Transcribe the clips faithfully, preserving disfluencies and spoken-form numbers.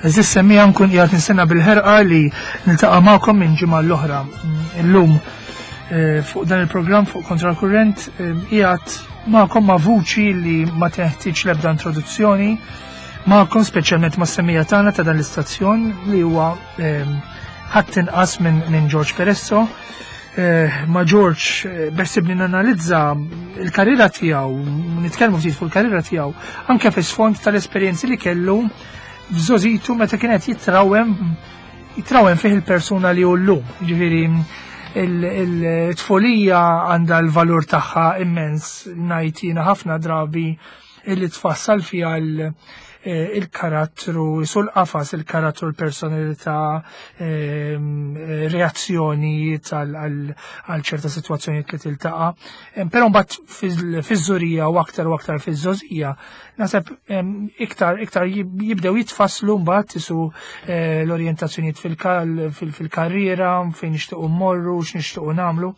Għeżież semmiegħa, nkun qiegħed nistenna bil-ħerqa li niltaqa' magħkom minn ġimgħa l-oħra. Illum eh, fuq dan il-programm, fuq Kontra Kurrent, eh, qiegħed magħkom ma' vuċi li ma teħtieġ l-ebda introduzzjoni magħkom, speċjalment ma' semmiegħa tagħna ta' dan l-istazzjon, li huwa eh, ħadd inqas minn min George Peresso. Eh, ma' George eh, beħsiebni nanalizza il-karriera tiegħu, nitkellmu ftit fuq il-karriera tiegħu, anke fi sfond tal-esperjenzi li kellu f'żgħożitu meta kienet jitrawem jitrawem fih il-persuna li hu llum. Ġifieri il-tfulija għandha l-valur tagħha immens, ngħid jiena, ħafna drabi illi tfassal fiha l- eh, il-karattru, sul qafas il-karattru, l-personalità, ehm, eh, reazzjoni għal ċerta situazzjoni li tiltaqa. Em, Però mbagħad fiż-żgħorija u aktar u aktar fiż-żgħożija, naħseb em, iktar iktar jib- jibdew jitfasslu mbagħad isu eh, l-orjentazzjonijiet fil-karriera, fejn nixtiequ mmorru, x'nixtiequ nagħmlu.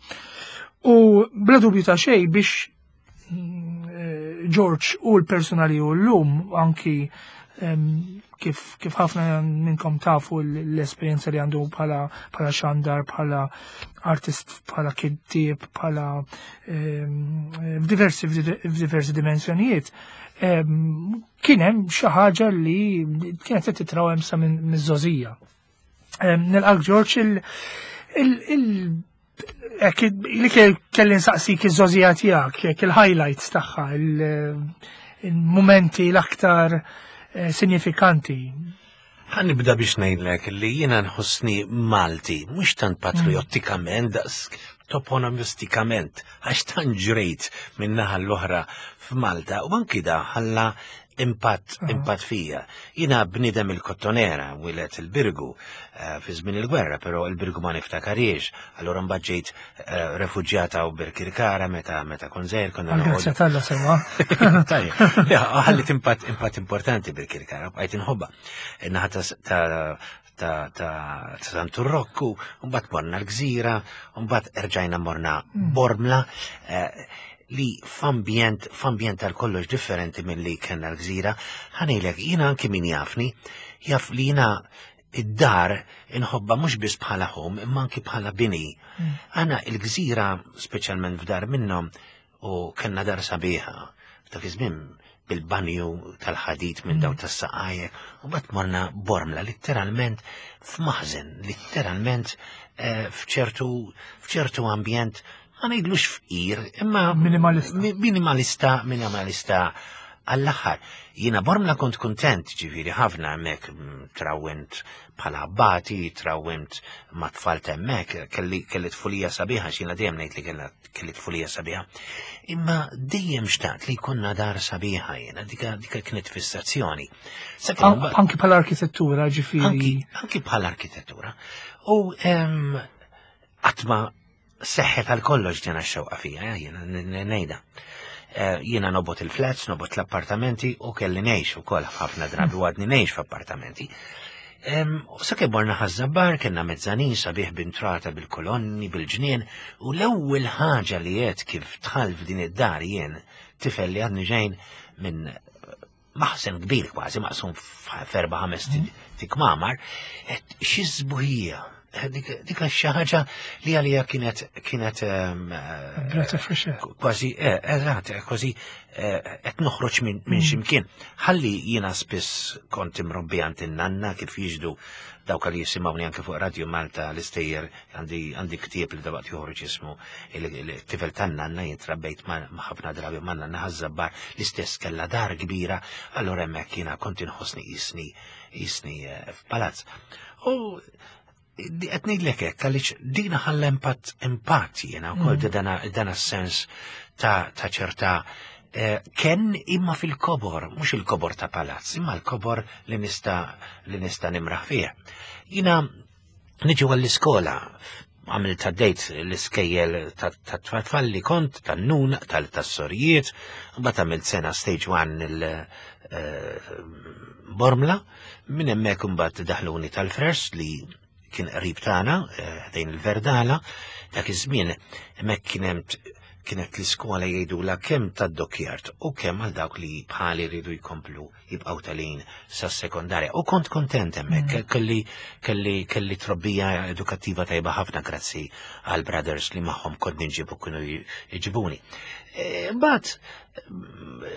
U bla dubju ta' xejn, biex mm, eh, George u l-persuna li hu llum, anki em, kif, kif ħafna minnkom tafu l-esperjenza li għandu bħala bħala xandar, bħala artist, bħala kittieb, bħala em, f'diversi f'diversi dimensjonijiet, em, kien hemm xi ħaġa li kienet qed titrawem sa minn miż-żgħożija. Em, Nilqak George. il il il Ek, li kelli nsaqsik iż-żgħożija tiegħek, jekk il-highlights tagħha, il-momenti l-aktar eh, sinifikanti. Ħa nibda biex ngħidlek li jiena nħossni Malti, mhux tant patriottikament daqs toponomistikament, għax tant ġrejt minn naħa l-oħra f'Malta u anki da ħalla impatt impatt fija. Jiena bnidem il-Kottonera, mwieled il-Birgu eh, fi żmien il-gwerra, però il-Birgu ma niftakariex. Allura mbagħad ġejt eh, refuġjata u Birkirkara meta meta kont żgħir, konna Għal-grazzja t'Alla, sewwa. Tajjeb, ja, ħallit impatt impatt importanti Birkirkara, bqajt inħobba. Naħa ta' ta' ta' ta' Santu Rokku, mbagħad morna l-Gżira, mbagħad erġajna morna Bormla, eh, li f'ambjent f'ambjent tal kollox differenti minn li kellna l-Gżira. Ħa ngħidlek, jiena anki min jafni, jaf li jiena id-dar inħobba mhux biss bħala home, imma anki bħala bini. Għana il-Gżira, speċjalment f'dar minnhom, u kellna dar sabiħa, f'dak iż-żmien bil-banju tal-ħadid minn daw tas-saqajek, u mbagħad morna Bormla letteralment f'maħżen, letteralment eh, f'ċertu f'ċertu ambjent, ma ngħidlux fqir, imma Minimalista. mi- minimalista, minimalista għall-aħħar. Jiena Bormla kont kontent, ġifieri ħafna hemmhekk, mm, trawwimt bħala abbati, trawwimt ma' tfal hemmhekk, kelli kelli tfulija sabiħa, x'jiena dejjem ngħid li kellha kelli tfulija sabiħa. Imma dejjem xtaqt li jkollna dar sabiħa jiena, dika dika kienet fissazzjoni. Sakemm mbagħad- Anki bħala arkitettura, ġifieri. anki, anki bħala arkitettura. U em, għatma seħħet għal kollox ġena xewqa fija, eh, jiena n- n- ngħidha. Eh, Jiena nobgħod il-flats, nobgħod l-appartamenti u kelli ngħix ukoll ħafna drabi u għadni ngħix f'appartamenti. Em, U sakemm morna Ħaż-Żabbar, kellna mezzanin sabiħ b'intrata bil-kolonni, bil-ġnien, u l-ewwel ħaġa li għedt kif dħalt f'din id-dar jien, tifel li għadni ġejn minn maħsen kbir kważi maqsum f'erba' ħames kmamar, għedt xi sbuħija. Dik dik xi ħaġa li għalija kienet kienet em, eh, Breath of fresh air. Kważi, eh, eżatt, kważi eh, qed noħroġ minn min ximkien. Ħalli jiena spiss kont imrobbi għand in-nanna, kif jiġdu dawk li jisimgħuni anke fuq Radio Malta l-istejjer, għandi għandi ktieb li dawaqt joħroġ jismu Il-tifel tan-nanna. Jien trabbejt ma' ma' ħafna drabi ma' nanna Ħaż-Żabbar, l-istess kellha dar kbira, allura hemmhekk jiena kont inħossni jisni jisni eh, f'palazz. U qed ngħidlek hekk għaliex dina ħalla impatt impatt jiena wkoll dana dana sens ta' ta' ċerta eh, ken imma fil-kobor, mhux il-kobor ta' palazz, imma l-kobor li nista' li nista' nimraħ fih. Jiena niġu għall-iskola, għamilt għaddejt l-iskejjel ta' tfal li kont, tan-nun, tal-sorijiet, mbagħad għamilt sena stage one il-Bormla, minn hemmhekk imbagħad daħluni tal-First li kien qrib tagħna, eh, ħdejn il-Verdala, dak iż-żmien hemmhekk kien hemm Kienet l-iskola jgħidula kemm tad-dockyard u kemm għal dawk li bħali rridu jkomplu jibqgħu telgħin sas-sekondarja. U kont kontent hemmhekk, mm. kelli kelli kelli trobbija edukattiva tajba ħafna grazzi għal brothers li magħhom kont ninġibu, kienu jġibuni. E, mbagħad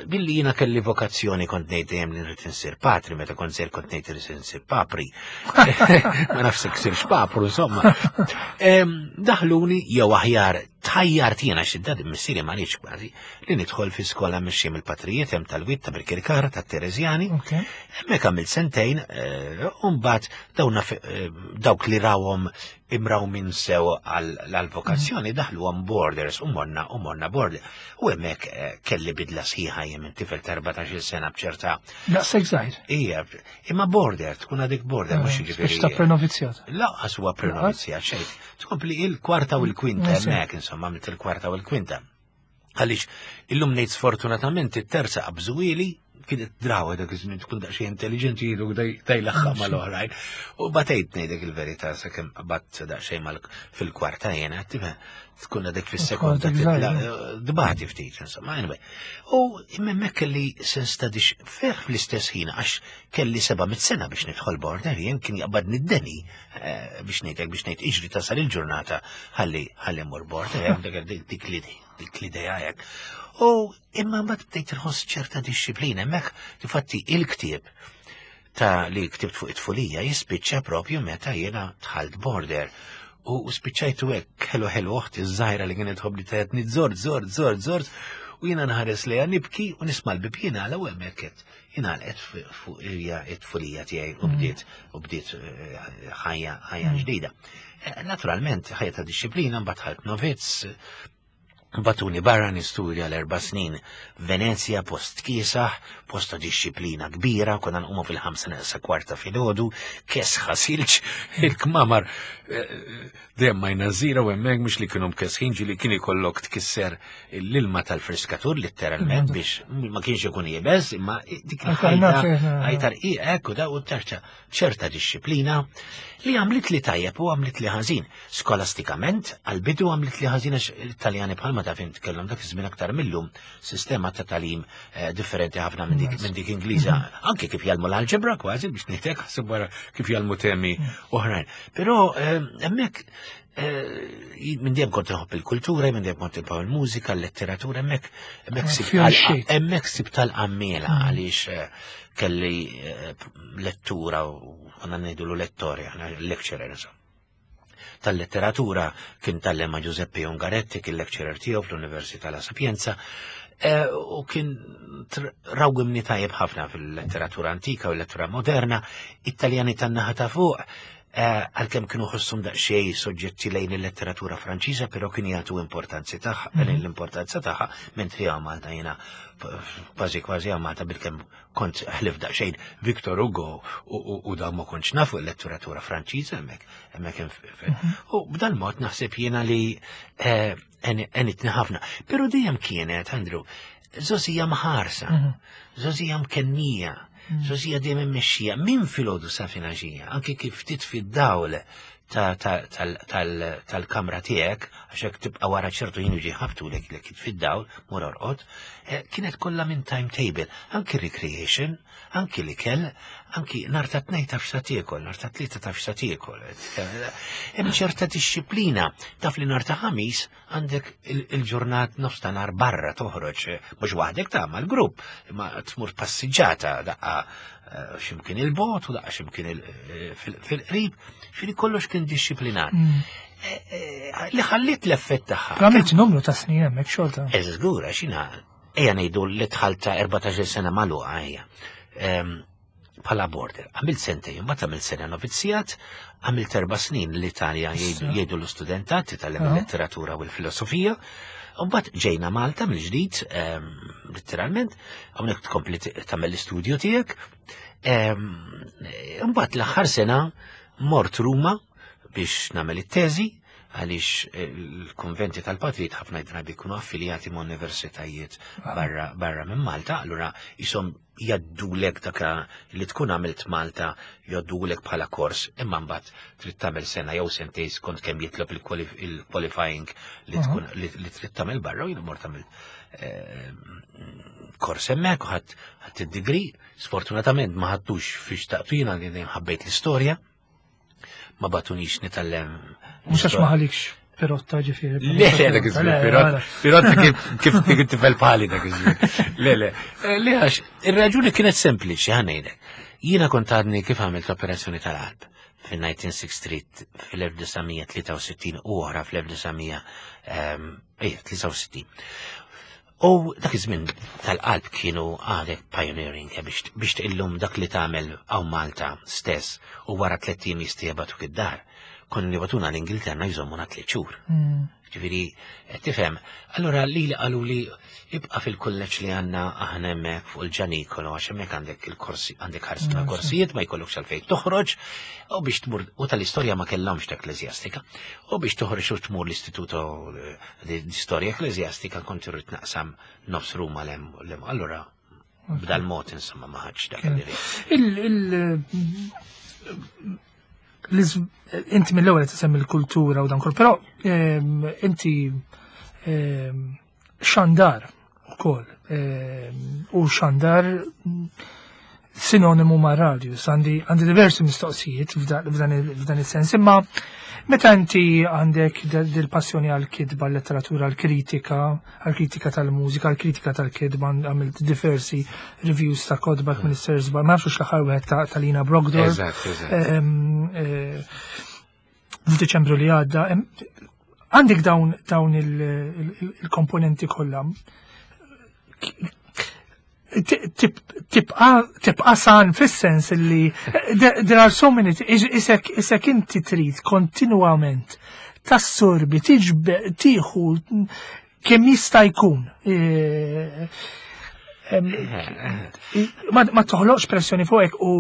billi jiena kelli vokazzjoni, kont ngħid dejjem li nrid insir patri, meta kont żgħir kont ngħid irid insir papri. Ma nafx sirx papru, insomma. Daħluni, jew aħjar tħajjart jiena, xi missieri ma riedx kważi, li nidħol fi skola mmexxija mill-patrijiet hemm tal-Wied ta' Birkirkara, tat-Tereżjani. Hemmhekk għamilt sentejn, eh, u mbagħad dawna eh, dawk li rawhom imraw minn sew għal-vokazzjoni daħlu għam borders u morna u morna border. U hemmhekk eh, kelli bidla sħiħa jien minn tifel ta' erbatax-il sena bċerta. Daqshekk żgħir. Ija, imma border, tkun għadik border, mhux jiġifieri. Biex ta' prenovizzjat. Lanqas huwa prenovizzjat xejn. Tkompli il-kwarta u l-kwinta hemmhekk, insomma, għamilt il-kwarta u l-kwinta. Għaliex illum ngħid sfortunatament it-terza qabżuhieli, kienet drawa dak iż-żmien tkun daqsxejn intelligenti, jgħidu daj laħħa mal-oħrajn. U batejt, ngħidlek il-verità, sakemm qabadt daqsxejn fil-kwarta jiena, tifhem, tkun għadek fis-sekonda dbati ftit, insomma, anyway. U hemmhekk kelli sens ta' dix ferħ fl-istess ħin, għax kelli seba' mit sena biex nidħol border, jien kien jaqbadni d-deni eh, biex ngħidlek, biex ngħid iġri tasal il-ġurnata ħalli ħalli mmur border, dik dik l-idea hekk. U imma mbagħad bdejt inħoss ċerta dixxiplina hemmhekk, difatti il-ktieb ta' li ktibt fuq it-tfulija jispiċċa propju meta jiena dħalt border. U spiċċajtu hekk ħelu ħelu, oħti żgħira li kienet tħobbni tgħidli żort, żort, żort, żort, u jiena nħares lejha nibki u nisma' l-bib jingħalaq u hemmhekk qed ingħalqet fuq it-tfulija tiegħi u bdiet u bdiet eh, ħajja ħajja ġdida. Eh, naturalment, ħajja ta' dixxiplina, mbagħad dħalt novizz, bagħtuni barra nistudja l-erba' snin Venezia, post kiesaħ, post ta' dixxiplina kbira, konna nqumu fil-ħamsa neqsa kwarta filgħodu, kesħa silġ, il-kmamar eh, dejjem ma jnażira u hemmhekk mhux li kienu mkesħin, ġieli kien ikollok tkisser l-ilma tal-friskatur letteralment biex ma kienx ikun iebes, imma dik il-ħajta ħajta rqiq u da u terċa ċerta dixxiplina li għamlit li tajjeb u għamlit li ħażin. Skolastikament, għal-bidu għamlit li ħażin għax Italjani, bħalma taf int, kellhom dak iż-żmien aktar millum sistema ta' tagħlim eh, differenti ħafna minn dik minn dik Ingliża. Anke kif jgħallmu l-alġebra kważi, biex ngħidlek, ħasib wara kif jgħallmu temi oħrajn. Però eh, hemmhekk eh, minn dejjem kont nħobb il-kultura, minn dejjem kont nħobb il-mużika, l-letteratura, hemmhekk hemmhekk hemmhekk sibt tal-qammiela għaliex kelli lettura u għandna ngħidu lettori, għandna lecturer, insomma, tal-letteratura, kien tgħallem ma' Giuseppe Ungaretti, kien lecturer tiegħu fl-Università La Sapienza, e, u kien rawwimni tajjeb ħafna fil-letteratura antika u l-letteratura moderna. Italjani tan-naħa ta' fuq, e, għalkemm kienu ħossum daqsxejn soġġetti lejn il-letteratura Franċiża, però kien jagħtu importanzi tagħha, mm. l-importanza tagħha, mentri Malta jiena kważi kważi Malta bilkemm kont ħlief daqsxejn Victor Hugo u da ma kontx nafu l-letteratura Franċiża hemmhekk hemmhekk. Mhm. U b'dal mod naħseb jiena li eh, għenitni ħafna. Però dejjem kienet, Andrew, żgħożija mħarsa, mhm. żgħożija mkennija, mhm. żgħożija dejjem immexxija minn filgħodu sa filgħaxija, anke kif titfi d-dawl tal-kamra tiegħek, għax hekk tibqa' wara ċertu ħin jiġi ħabtu lek lek fid-dawl, mur orqod, eh, kienet kollha minn timetable, anki recreation, anki l-ikel, anki nhar ta' Tnejn taf x'sa tiekol, nhar ta' Tlieta taf x'sa tiekol. Hemm ċerta dixxiplina, taf li nhar ta' Ħamis għandek il-ġurnat nofs ta' nhar barra toħroġ, mhux waħdek, ta' mal-grupp, ma tmur passiġġata daqqa eh, ximkien il-bogħod u daqqa ximkien eh, fil-qrib, xini kollox kien dixxiplinat. Mm. Eh, li ħallit l-effett tagħha. Għamilt numru ta' snin hemmhekk xorta. Eżgura, xina, ejja ngħidu li dħalt ta' erbatax-il sena magħluqa ejja bħala border. Għamilt sentejn, mbagħad għamilt sena novizzjat, għamilt erba' snin l-Italja, jgħidu l-istudentat, titgħallem il-letteratura u l-filosofija. U mbagħad ġejna Malta mill-ġdid, letteralment, hawnhekk tkompli tagħmel l-istudju tiegħek. Mbagħad l-aħħar sena mort Ruma biex nagħmel it-teżi. Għaliex il-konventi tal-patrijiet ħafna drabi jkunu affiljati ma' universitajiet barra, barra minn Malta, allura jisom jgħaddulek dak li tkun għamilt Malta, jgħaddulek bħala kors, imma mbagħad trid tagħmel sena jew sentejn skont kemm jitlob il-qualifying li tkun li trid tagħmel barra, u jiena mort tagħmel eh, kors hemmhekk u ħadt ħadt id-degree. Sfortunatament ma ħadtux fiex xtaqtu jiena, li dejjem ħabbejt l-istorja. Ma bagħtunix nitgħallem. Mhux għax ma ħalikx pirotta, ġifieri. Le, le, dak iż-żmien, pirotta, pirotta kif kif kif tifel pali dak iż-żmien. Le, le, Eh, le, għax ir-raġuni kienet sempliċi, ħa ngħidlek. Jiena kont għadni kif għamilt operazzjoni tal-qalb fil-nineteen sixty-three, fil-elf disa' mija tlieta u sittin u oħra fl-elf disa' mija tlieta u sittin. U dak iż-żmien tal-qalb kienu għadek pioneering eh, biex biex tqillum dak li tagħmel hawn Malta stess u wara tliet ijiem jistgħu jibagħtuk id-dar. Konna jibagħtuna l-Ingilterra, jżommuna tliet xhur. Mm. Ġifieri, eh, tifhem, allura li li qalu li ibqa' fil-kulleġġ li għandna aħna hemmhekk fuq il-Ġanikolo, għax hemmhekk għandek il-korsi, għandek ħarsa Mm, korsijiet, ma jkollokx għalfejn toħroġ, u biex tmur, u tal-istorja ma kellhomx ta' ekkleżjastika, u biex toħroġ u tmur l-Istituto eh, di di Storja Ekkleżjastika kont irrid naqsam nofs Ruma lem, lem. Allura b'dal mod insomma ma ħadx dak li rrid. Il, il, l-iż- inti mill-ewwel qed tisemmi l-kultura u dan kollu, però ehm, inti ehm, xandar ukoll ehm, u xandar mm, sinonimu ma' radio. Għandi għandi diversi mistoqsijiet f'dan f'dan il- f'dan il-sens, imma meta inti għandek dil-passjoni għal-kitba, għal-letteratura, għal-kritika, għal-kritika tal-mużika, għal-kritika tal-kitba, għamilt diversi reviews ta' kotba Minister Zbar, ma nafx l-aħħar wieħed ta' ta' Lina Brockdorff. Eżatt, eżatt. Ehm, eh, F'Diċembru li għadda, em, għandek dawn dawn il- il- il-komponenti kollha. Tib- Tibqa tibqa san fis-sens li there there are so many, isek isek inti trid kontinwament tassorbi, tiġbe, tieħu kemm jista' jkun. Eh, em, ma, ma toħloqx pressjoni fuqek u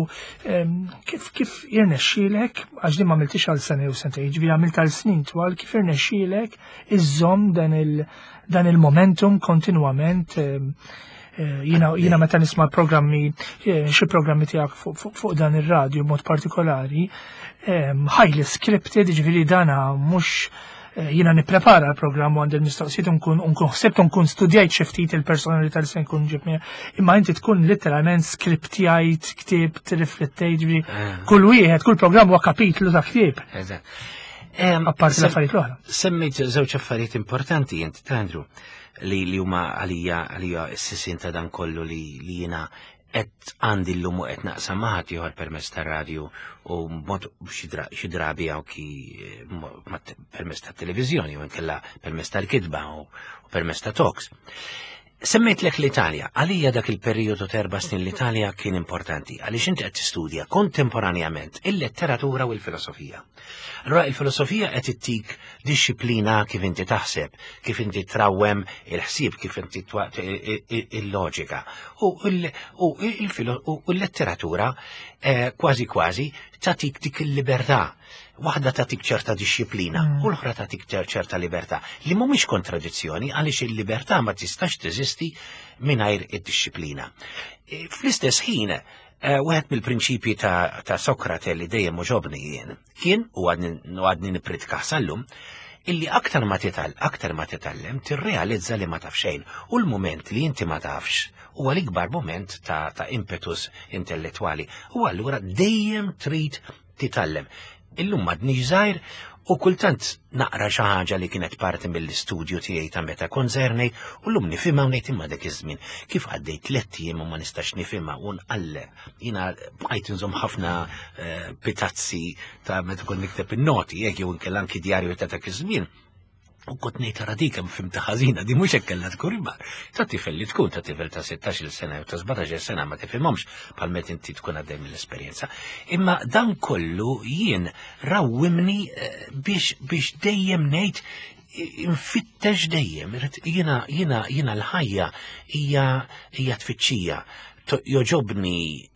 em, kif kif jirnexxielek, għax din ma għamiltix għal sena jew sentejn, ġifieri għamilt għal snin twal, kif jirnexxielek iżżomm dan il dan il-momentum kontinwament? em, eh, Jiena jiena meta nisma' programmi, eh, xi programmi tiegħek fuq fuq- fuq dan ir-radju mod partikolari, em, highly scripted, ġifieri dana mhux eh, jiena nipprepara l-programm u għandi l-mistoqsijiet u nkun nkun ħsibt u nkun studjajt xi ftit il-personalità li se nkun ġib miegħi. Imma inti tkun literalment skriptjajt, ktibt, riflettejt, ġifieri Eh. kull wieħed, kull programm huwa kapitlu ta' ktieb. Eżatt. Em, Apparti sem- l-affarijiet l-oħra. Semmejt żewġ affarijiet importanti inti, Andrew, li li huma għalija għalija s-sisin ta' dan kollu li li jiena qed għandi llum u qed naqsam ma' ħadd ieħor permezz tar-radju u mod xi dra- xi drabi anki eh, mo- ma' te- permezz tat-televiżjoni u nkella permezz tal-kitba u u permezz ta' talks. Semmejtlek l-Italja. Għalija dak il-periodu ta' erba' snin l-Italja kien importanti, għaliex inti qed tistudja kontemporanjament il-letteratura u l-filosofija. Allora il-filosofija qed ittik disċiplina kif inti taħseb, kif inti trawwem il-ħsieb, kif inti twa- i- i- il-loġika. U il- u il-filo- u l-letteratura eh, kważi kważi tatik dik il-libertà. Waħda tatik ċerta disċiplina Mm. u l-oħra tatik ċer- ċerta libertà li mhumiex kontradizzjoni, għaliex il-libertà ma tistax teżisti mingħajr id-disċiplina. E, Fl-istess ħin, eh, wieħed mill-prinċipji ta', ta' Sokrate li dejjem għoġobni jien kien, u għadni u għadni nippritkah sal-lum, illi aktar ma tital, aktar ma titgħallem, tirrealizza li ma taf xejn. U l-moment li inti ma tafx huwa l-ikbar moment ta', ta' impetus intellettwali. U allura dejjem trid titgħallem. Illum m'għadniex żgħir u kultant naqra xi ħaġa li kienet parti mill-istudju tiegħi ta' meta konzernej u llum nifhimha u ngħid, imma dak iż-żmien kif għaddejt tliet ijiem u ma nistax nifhimha, u nqalleb. Jiena bqajt inżomm ħafna eh, pitazzi ta' meta kont nikteb in-noti, jekk jew inkella anki djarju ta' dak iż-żmien. U kont ngħid, ara dik hemm fhimtha ħażina, di mhux hekk kellha tkun, imma ta' tifel li tkun, ta' tifel ta' sittax-il sena jew ta' sbatax-il sena, ma tifhimhomx bħal meta inti tkun għaddej mill-esperjenza. Imma dan kollu jien rawwimni eh, biex biex dejjem ngħid infittex dejjem, irrid- jiena jiena jiena l-ħajja hija hija tfittxija. To- Jogħġobni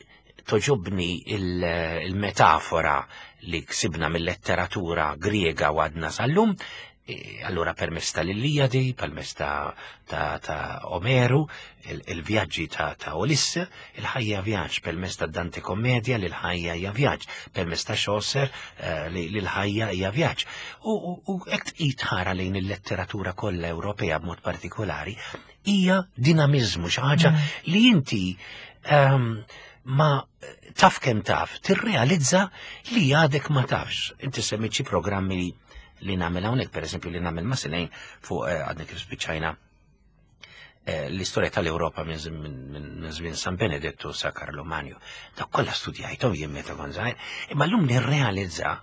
Togħġobni il-metafora li ksibna mill-letteratura Griega u għadna sal-lum, e, allura permezz tal-Ilijadi, permezz ta', ta, ta Omeru, il-vjaġġi ta', ta' Ulisse, il-ħajja vjaġġ, permezz ta' Dante Kommedia li l-ħajja hija vjaġġ, permezz ta' Chaucer eh, li l-ħajja hija vjaġġ. U, u hekk tħara lejn il-letteratura kollha Ewropea b'mod partikolari, hija dinamizmu, xi ħaġa mm. li inti um, ma taf kemm taf, tirrealizza li għadek ma tafx. Inti semmejt xi programmi li li nagħmel hawnhekk, pereżempju li nagħmel ma' Sinejn fuq eh, għadni kif spiċċajna eh, l-istorja tal-Ewropa minn żmien San Benedettu sa Karlo Magno. Dak kollha studjajthom jien meta kont żgħir, imma llum nirrealizza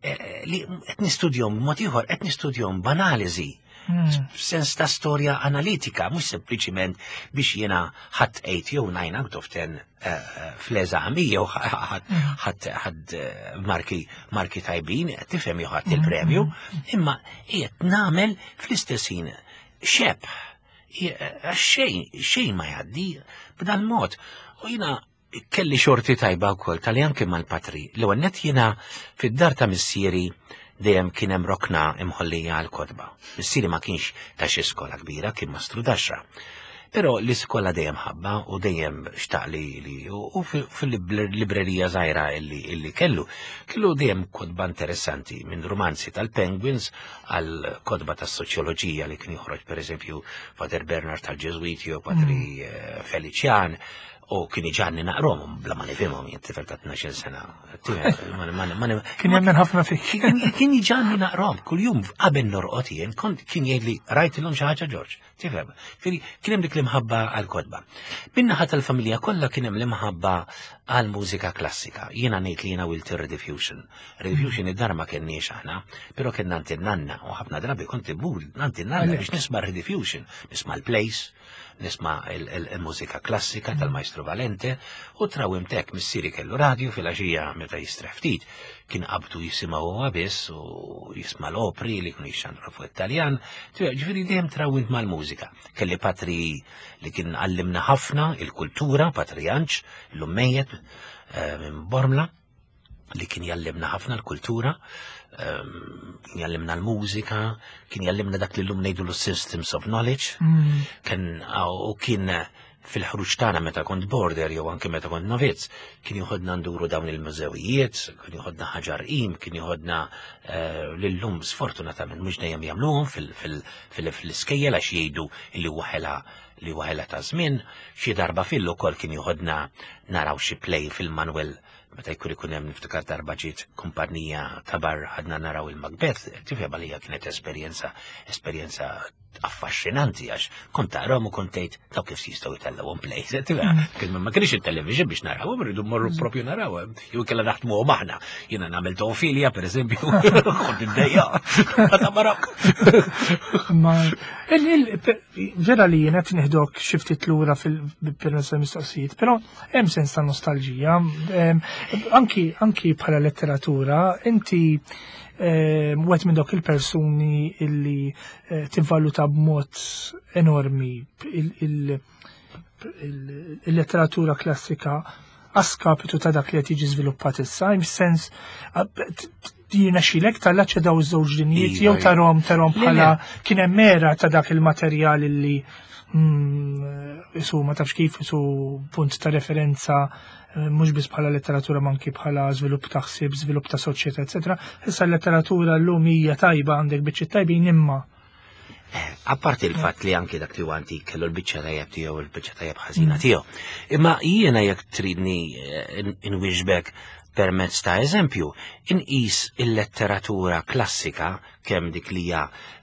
eh, li qed nistudjahom b'mod ieħor, qed nistudjahom b'analiżi hmm. sens ta' storja analitika, mhux sempliċiment biex jiena ħadt eight jew nine out of ten fl-eżami jew ħadt ħadt marki marki tajbin, tifhem, jew ħadt il-premju, imma qiegħed nagħmel fl-istess ħin xebh xejn xejn ma jgħaddi b'dan mod. U jiena kelli xorti tajba wkoll tal anke mal-patri. L-ewwel nett jiena fid-dar ta' missieri dejjem kien hemm rokna imħollija għal kotba. Missieri ma kienx ta' xi skola kbira, kien mastru daxra. Però l-iskola dejjem ħabba u dejjem xtaq li li u fil-librerija żgħira illi illi kellu, kellu dejjem kotba interessanti minn romanzi tal-Penguins għal kotba tas-soċjoloġija li kien joħroġ, pereżempju Father Bernard tal-Ġeżwiti u Patri mm. eh, Felician, u kien iġagħalni naqrahom bla ma nifhimhom, jien tifel ta' tnax-il sena. Kien jemmen ħafna fik. Kien iġagħalni naqrahom kuljum qabel norqod jien, kont kien jgħidli: "Rajtilhom xi ħaġa, George?" Tifhem. Kien hemm dik l-imħabba għall-kotba. Min-naħa tal-familja kollha kien hemm l-imħabba għall-mużika klassika. Jiena ngħid li jiena wilt Rediffusion. Rediffusion id-dar ma kenniex aħna, però kien għand in-nanna u ħafna drabi kont immur għand in-nanna biex nisma' Rediffusion, nisma' l-plays, nisma' il-mużika klassika tal-Maestro Valente u trawwimt hekk. Missieri kellu radio fil-għaxija meta jistrieħ ftit, kien qabdu jisimgħu huwa biss u jisma' l-opri li kienu jixxandru fuq Italjan, ġifieri dejjem trawwimt mal-mużika. Kelli patri li kien għallimna ħafna il-kultura, Patri Janċ, illum mejjet eh, minn Bormla, li kien jallimna ħafna l-kultura, ehm, kien jallimna l-mużika, kien jallimna dak li llum ngħidu l-systems of knowledge, mm. kien u kien fil-ħruġ tagħna meta kont border jew anke meta kont novizz, kien joħodna nduru dawn il-mużewijiet, kien joħodna Ħaġar Qim, kien joħodna eh, lillum sfortunatament mhux dejjem jagħmluhom fil-iskejjel għax jgħidu li huwa ħela li huwa ħela ta' żmien, xi darba fil ukoll kien joħodna naraw xi play fil-Manuel meta jkun ikun hemm. Niftakar darba ġiet kumpanija ta' barra, ħadna naraw il-Macbeth, tifhem, għalija kienet esperjenza esperjenza affaxxinanti għax kont tarahom u kont tgħid daw kif jistgħu jtellgħuhom play. Kien ma kienx il-television biex narawhom, rridu mmorru propju narawhom. Jew kellha naħdmuhom aħna. Jiena nagħmel Teofilja, pereżempju, kont iddejja. Ta' barok. Ma vera li jiena qed nieħdok xi ftit lura fil-permezz mistoqsijiet, però hemm sens ta' nostalġija. Anki anki bħala letteratura, inti wieħed minn dawk il-persuni illi eh, tivvaluta b'mod enormi il-letteratura klassika a skapitu ta' dak li qed jiġi żviluppat issa, sens jiena xilek tal-laċċa daw iż-żewġ dinjiet jew iva, tarahom tarahom bħala kien hemm era ta' dak il-materjal illi mm, isu ma tafx kif isu punt ta' referenza eh, mhux biss bħala letteratura ma anki bħala żvilupp ta' ħsieb, żvilupp ta' soċjetà, eċetera. Issa l-letteratura llum hija tajba, għandek biċċi tajbin, imma eh, Apparti il-fatt li anki dak li huwa antik kellu l-biċċa tajjeb tiegħu u l-biċċa tajjeb ħażina mm. tiegħu. Imma jiena jekk tridni eh, inwieġbek permezz ta' eżempju, inqis il-letteratura klassika, kemm dik li hija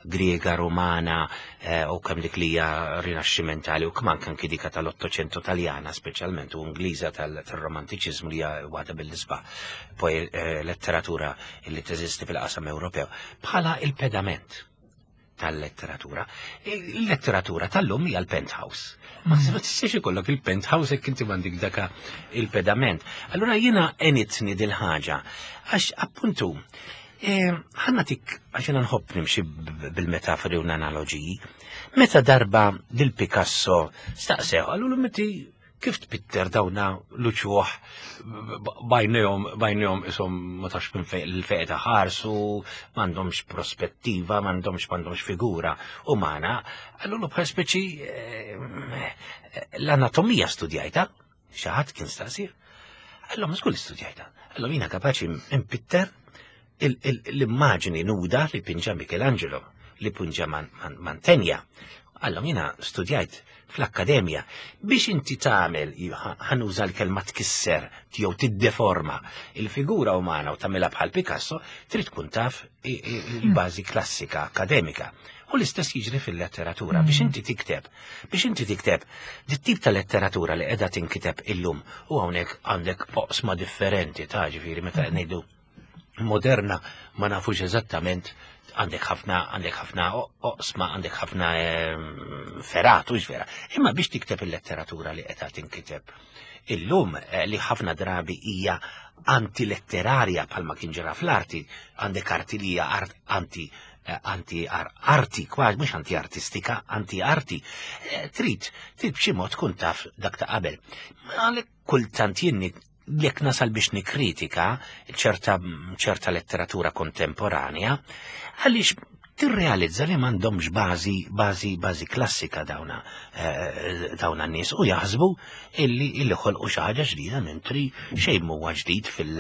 Griega, Romana eh, u kemm dik li hija rinaxximentali u kemm anke anke dika tal-Ottocento Taljana speċjalment u Ingliża tal-Romantiċiżmu li hija waħda mill-isbaħ eh, letteratura li teżisti fil-qasam Ewropew, bħala il-pedament tal-letteratura. Il-letteratura tal-lum hija l-penthouse. Ma mm. tistax ikollok il-penthouse jekk inti m'għandek daka il-pedament. Allura jiena għenitni dil-ħaġa għax appuntu eh, ħa nagħtik, għax jiena nħobb nimxi bil-metafori u l-analogiji. Meta darba lil Picasso staqsew, għallu meti Kif tpitter dawna l-uċuħ bajnejhom bajnejhom ishom ma tafx minn fejn il-fejn ta' ħarsu, m'għandhomx prospettiva, m'għandhomx m'għandhomx figura umana. Allura bħal speċi l-anatomija studjajta, xi ħadd kien staqsir. Allora ma żgur studjajta. Allora jiena kapaċi impitter l-immaġini nuda li pinġa Michelangelo, li pinġa Mantegna. Allora jiena studjajt fl-akkademja biex inti tagħmel, ħanuża l-kelma tkisser jew tiddeforma il-figura umana u tagħmilha bħal Picasso, trid tkun taf il-bażi klassika akademika. U l-istess jiġri fil-letteratura biex inti tikteb, biex inti tikteb dit-tip ta' letteratura li qiegħda tinkiteb illum u hawnhekk għandek oqsma differenti ta' ġifieri meta ngħidu moderna ma nafux eżattament għandek ħafna għandek ħafna oqsma, għandek ħafna ferat, u vera. Imma biex tikteb il-letteratura li qed tinkiteb illum li ħafna drabi hija antiletterarja bħalma kien ġara fl-arti, għandek arti li hija anti anti arti, kważi mhux anti artistika, anti arti. Trid trid b'xi mod tkun taf dak ta' qabel. Għalhekk kultant jien jekk nasal biex nikkritika ċerta ċerta letteratura kontemporanja, għaliex tirrealizza li m'għandhomx bażi bażi bażi klassika dawna dawna n-nies u jaħsbu illi illi ħolqu xi ħaġa ġdida mentri xejn m'huwa ġdid fil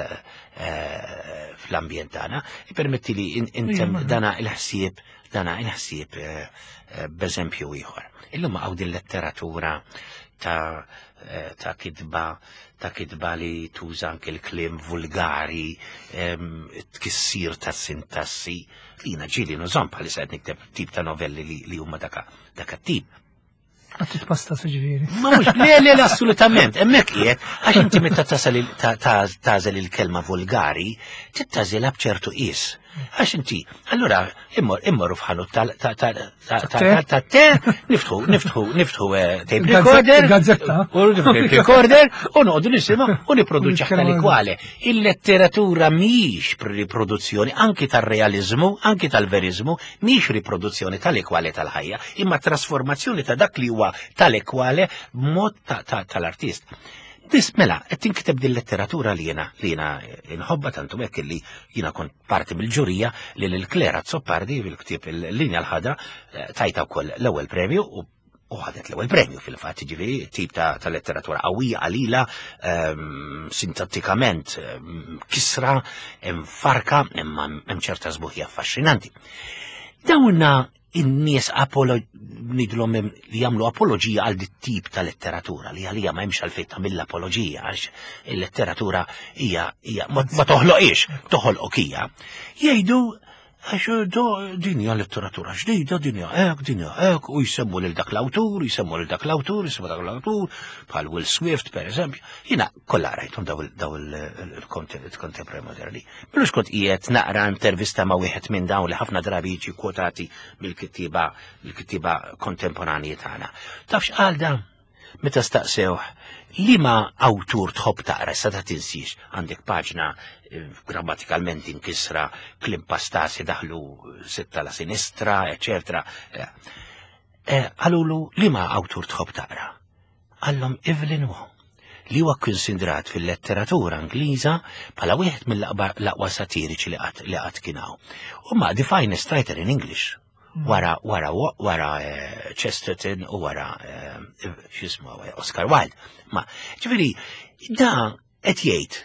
fl-ambjent tagħna. Ippermetti li intem dana il-ħsieb dana il-ħsieb b'eżempju ieħor. Illum hawn din letteratura ta' ta' kitba ta' kitba li tuża anke l-kliem vulgari, tkissir ta' sintassi, li jiena ġieli nużhom bħalissa qed nikteb tip ta' novelli li huma daka daka tip. Għad titpasta ġifieri. Ma mhux, le, le, le, assolutament, hemmhekk qiegħed, għax inti meta tasal tagħżel il-kelma vulgari, tittażilha b'ċertu qies. Għax inti, allura immor immorru f'ħanut ta' te, niftħu, niftħu, niftħu tape recorder, gazzetta, u tape recorder, u noqogħdu nisimgħu u nipproduċi tali kwale. Il-letteratura mhix riproduzzjoni anki tar-realiżmu, anki tal-verizmu, mhix riproduzzjoni tal-ekwale tal-ħajja, imma trasformazzjoni ta' dak li huwa tal-ekwale b'mod tal-artist. Dis mela, qed tinkiteb din letteratura li jiena li jiena inħobba tantu hekk li jiena kont parti mill-ġurija li lil Claire Azzopardi fil-ktieb il-Linja l-Ħadra tajta wkoll l-ewwel premju u ħadet l-ewwel premju fil-fatt, ġifieri tip ta' letteratura qawwija qalila, sintattikament kisra, farka, imma hemm ċerta sbuħija affaxxinanti. Dawna in-nies nidlhom li jagħmlu apoloġija għal dit tip ta' letteratura li għalija ma hemmx għalfejn tagħmilha apoloġija għax il-letteratura hija hija ma toħloqix, toħolqok hija. Jgħidu għax din hija letteratura ġdida, din hija hekk, din hija hekk, u jsemmu lil dak l-awtur, jsemmu lil dak l-awtur, jsemmu dak l-awtur, bħal Will Swift pereżempju. Jiena kollha rajthom daw il-contemporary moderni. Milux kont qiegħed naqra intervista ma' wieħed minn dawn li ħafna drabi jiġi kwotati mill-kittieba mill-kittieba kontemporanji tagħna. Taf x'qal dan? Meta staqsewh liema awtur tħobb taqra, issa ta' tinsiex, għandek paġna grammatikalment inkisra, kliem pastasi daħlu sitta la sinistra, eċetera. Qalulu liema awtur tħobb taqra? Qallhom Evelyn Waugh, li huwa kkonsidrat fil-letteratura Ingliża bħala wieħed mill-aqwa satiriċi li qatt li qatt kien hawn. U ma the finest writer in English. Wara wara wara Chesterton u wara x'ismu Oscar Wilde. Ma ġifieri da qed jgħid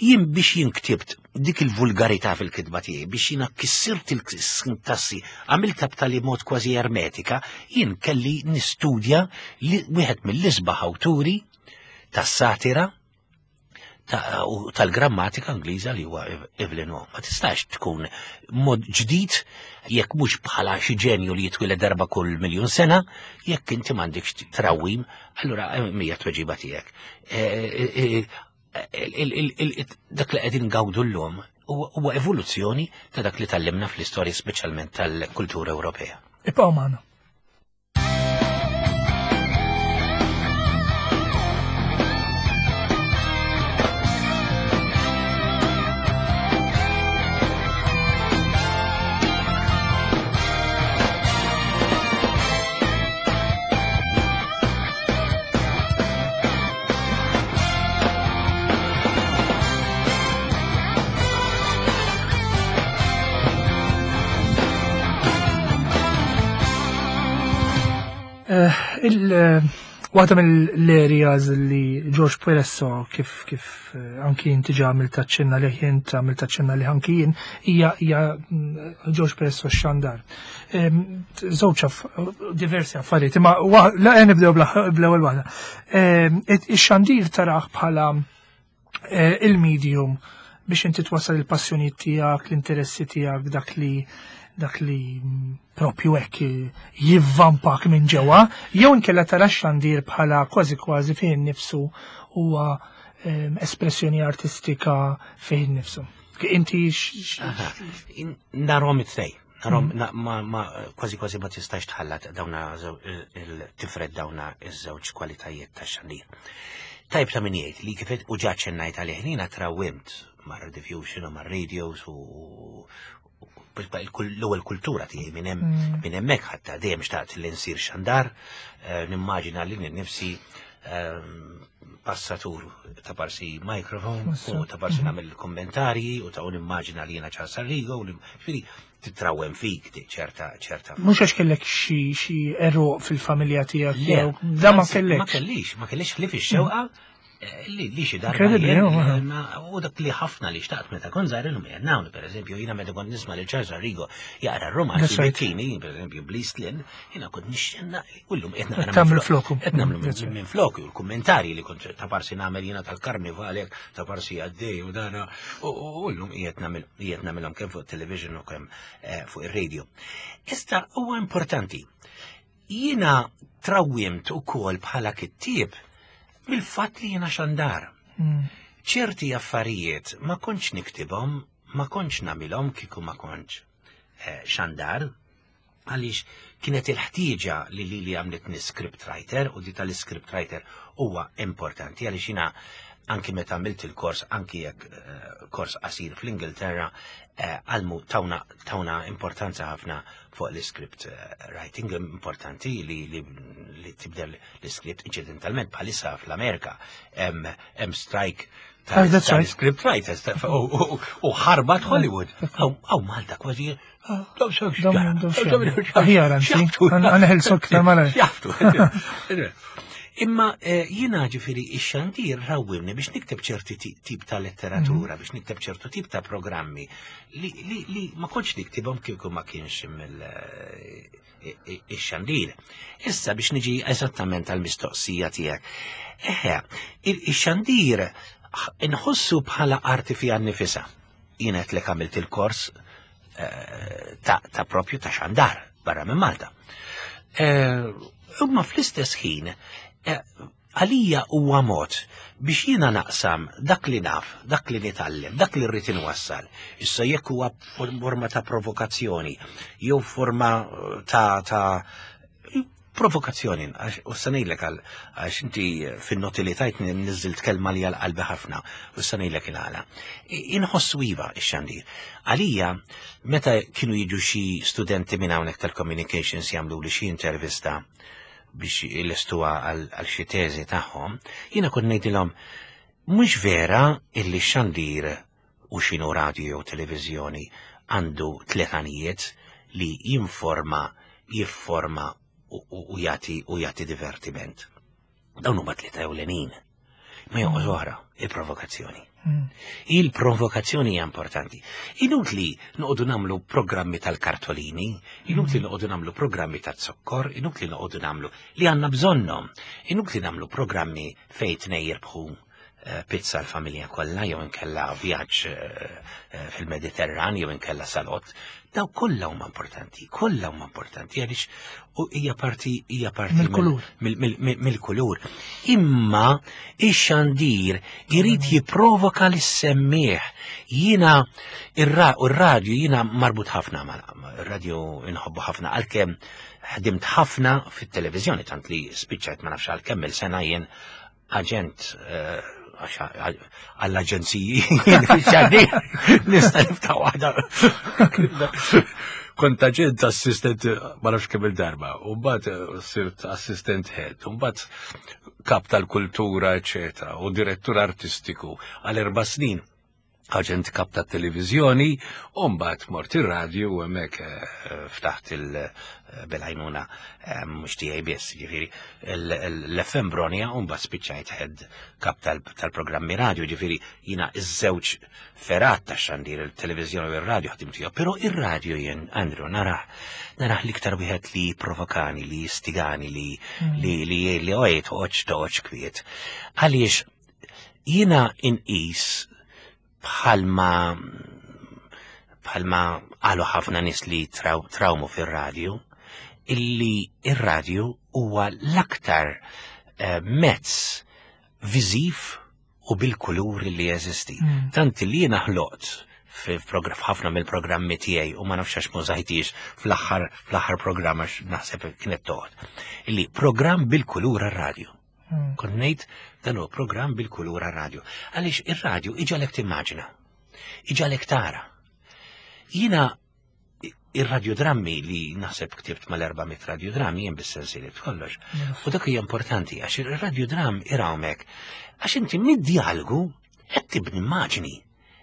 jien biex jien ktibt dik il-vulgarità fil-kitba tiegħi, biex jiena kissirt il-sintassi, għamiltha b'tali mod kważi ermetika, jien kelli nistudja li wieħed mill-isbaħ awturi tas-satira u tal-grammatika Ingliża li huwa Evelyn Waugh. Ma tistax tkun mod ġdid jekk mhux bħala xi ġenju li jitwieled darba kull miljun sena, jekk inti m'għandekx trawwim, allura mija tweġiba tiegħek. Dak li qegħdin ngawdu llum huwa evoluzzjoni ta' dak li tallimna fl-istorja speċjalment tal-kultura Ewropea. Ibqgħu magħna. Eh, il- Waħda mill-areas li George Peresso kif kif eh, anki inti ġa għamilt taċċenna li jint għamilt taċċenna li anki jien hija hija mm, George Peresso xandar. Em, Żewġ aff- diversi affarijiet, imma wa- la eh, nibdew bla- bl-ewwel waħda. Em, it- Ix-xandir taraħ bħala eh, il-medium biex inti twassal il-passjonijiet tiegħek, l-interessi tiegħek, dak li dak li mm, propju hekk jivvampak minn ġewwa, jew inkella tara x-xandir bħala kważi kważi fih innifsu huwa em, espressjoni artistika fih innifsu. Inti x- x- Aha. In- Narahom it-tnejn. Narahom, na- ma, ma, kważi kważi ma tistax tħallat dawna żew- il- il-tifred dawna iż-żewġ kwalitajiet ta' xandir. Tajb ta' min jgħid li kif u ġa ċennajt għalih jiena trawwimt mar Rediffusion u mar radios u u- l-ewwel kultura tiegħi minn hemm Mm. minn hemmhekk ħatta dejjem xtaqt li nsir xandar, eh, nimmaġina li nifsi ehm, passatur ta' parsi microphone u ta' parsi nagħmel kommentarji u ta' u nimmaġina li jiena Charles Arrigo u ġifieri titrawem fik di ċerta ċerta. Mhux għax kellek xi xi eruq fil-familja tiegħek Le, jew da ma anzi, Ma kellekx. kellix, ma kellix ħlief ix-xewqa eh, li li xi darba Incredibly, jien, no, eh, ma- u dak li ħafna li xtaqt meta kont żgħir illum qiegħed nagħmlu, pereżempju, jiena meta kont nisma' lil Charles Arrigo jaqra r-romanzi That's right. Bettini, pereżempju bl-East Lynne, jiena kont nixxenna u llum qed naqra Tagħmlu minn flok- floku. Qed nagħmlu That's minn right. minn floku u l-kummentarji li kont ta' parsi nagħmel jiena tal-karnival hekk, ta' parsi għaddej u dana u u llum qiegħed nagħmel qiegħed nagħmilhom kemm fuq television u kemm eh, fuq ir-radio. Issa huwa importanti. Jiena trawwimt ukoll bħala kittieb mill-fatt li jiena xandar. Mm. Ċerti affarijiet ma kontx niktibhom, ma kontx nagħmilhom kieku ma kontx eh, xandar, għaliex kienet il-ħtieġa li li li għamlitni script writer u di tal-script writer huwa importanti għaliex jiena anki meta għamilt il-kors, anki jekk eh, kors qasir fl-Ingilterra, eh, għallmu tawna, tawna importanza ħafna fuq l-script eh, writing, importanti li, li, li tibdel l-script incidentalment bħalissa fl-Amerika hemm hemm strike Ah, that's right. script writers ta- u- u u ħarbat Hollywood. Aw Malta kważi. Dom- dom xjaftu. Aħjar, anzi. Għan- għanħelsu aktar malajr. Jaftu. Imma eh, jiena ġifieri ix-xandir rawwimni biex nikteb ċerti ti- tip ta' letteratura, biex nikteb ċertu tip ta' programmi li, li, li ma kontx niktibhom kieku ma kienx mill eh, ix-xandir. Issa biex niġi eżattament għal-mistoqsija tiegħek. Eħe, il- ix-xandir inħossu bħala arti fija nnifisha. Jiena qed lek għamilt il-kors eh, ta', ta' propju ta' xandar barra minn Malta. Eh, Imma fl-istess ħin, eh, għalija huwa mod biex jiena naqsam dak li naf, dak li nitgħallem, dak li rrid inwassal. Issa jekk huwa forma ta' provokazzjoni, jew forma ta' ta' provokazzjoni, għax- u sa ngħidlek għal għax inti fin-noti li tajt nizzilt kelma li għal qalbi ħafna, u sa ngħidlek il-għala. Inħossu iva ix-xandir. Għalija, meta kienu jiġu xi studenti minn hawnhekk tal-communications jagħmlu li xi intervista biex ilestuha għal għal xi teżi tagħhom, jiena kont ngħidilhom mhux vera illi x-xandir u x'inhu radio jew televiżjoni għandu tliet għanijiet li jinforma, jifforma u, u, u jagħti u jagħti divertiment. Dawn huma tlieta ewlenin. Ma jonqos oħra, il-provokazzjoni. Mm. Il-provokazzjoni hija importanti. Inutli noqogħdu nagħmlu programmi tal-kartolini, inutli noqogħdu nagħmlu programmi tal-zokkor, inutli noqogħdu nagħmlu li għandna bżonnhom, inutli nagħmlu programmi fejn tnejn jirbħu eh, pizza l-familja kollha jew inkella vjaġġ eh, eh, fil-Mediterran jew inkella salott. Daw kollha huma importanti, kollha huma importanti għaliex u hija parti hija parti Mill-kulur. mill- mill- mill- mill-kulur. Imma ix-xandir irid jipprovoka lis-semmiegħ. Jiena ir-ra- u r-radju jiena marbut ħafna ma' ir-radju inħobbu ħafna għalkemm ħdimt ħafna fit-televiżjoni tant li spiċċajt ma nafx għal kemm il-sena jien aġent eh, għax għall-aġenziji fix-xandir nista' niftaħ waħda. Kont aġent assistent ma nafx kemm il-darba, u mbagħad eh, sirt assistent head, u mbagħad kap tal-kultura, eċetera, u direttur artistiku għal erba' snin. Aġent kap ta' televizjoni, u mbagħad mort ir-radju u hemmhekk eh, ftaħt il-belajnuna eh, mhux tiegħi biss, ġifieri l-F M Bronia, u mbagħad spiċċajt head kap tal-programmi radio, ġifieri jiena iż-żewġ fergħat ta' xandir, il-televiżjoni u ir-radio ħdimt fihom, però ir-radio jien, Andrew, narah narah l-iktar wieħed li provokani, li jistigani, li mm. li li li ojt toqgħodx toqgħodx kwiet. Għaliex jiena inqis bħalma bħalma qalu ħafna nies li traw, trawmu fir-radju, illi ir-radju huwa l-aktar eh, mezz viżiv u bil-kulur li jeżisti. Mm. Tant li jiena ħloqt f'ħafna mill-programmi tiegħi u ma nafx għax mużajtix fl-aħħar fl-aħħar programm għax naħseb kienet toqgħod. Illi programm bil-kulur għar-radju. Mm. Kont ngħid dan huwa programm bil-kulur għar-radju. Għaliex ir-radju iġagħlek timmaġina, iġagħlek tara. Jiena ir-radiodrammi li naħseb ktibt mal-erba' mitt radiodrammi jien bis-sensilit kollox. U dak hija importanti għax ir-radiodram irawmek għax inti mid-dialogu qed tibni immaġni,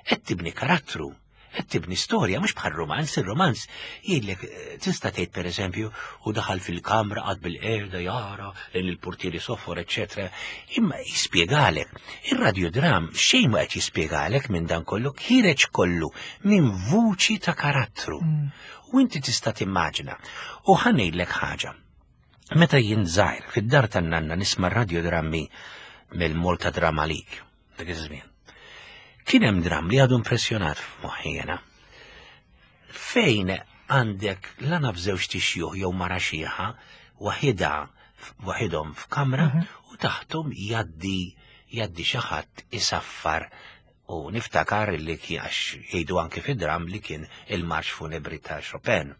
qed tibni karattru, qed tibni storja, mhux bħal romanz, ir-romanz jgħidlek eh, tista' tgħid, pereżempju, u daħal fil-kamra, qagħad bil-qiegħda jara lejn il-portieri sofor, eċetera. Imma jispjegalek. Ir-radiodram xejn ma qed jispjegalek minn dan kollu, ħireġ kollu minn vuċi ta' karattru. Mm. U inti tista' timmaġina. U ħa ngħidlek ħaġa. Meta jien żgħir fid-dar tan-nanna nisma' radiodrammi mill-Malta Drama League, dak iż-żmien. Kien hemm dram li għadu impressjonat f'moħħi jiena. Fejn għandek la naf żewġ tixjuħ jew mara xiħa waħida waħidhom f'kamra mhm. u taħtom jaddi jaddi xi ħadd isaffar u niftakar li kien, għax jgħidu anke fid-dram li kien il-marċ funebri ta' Chopin.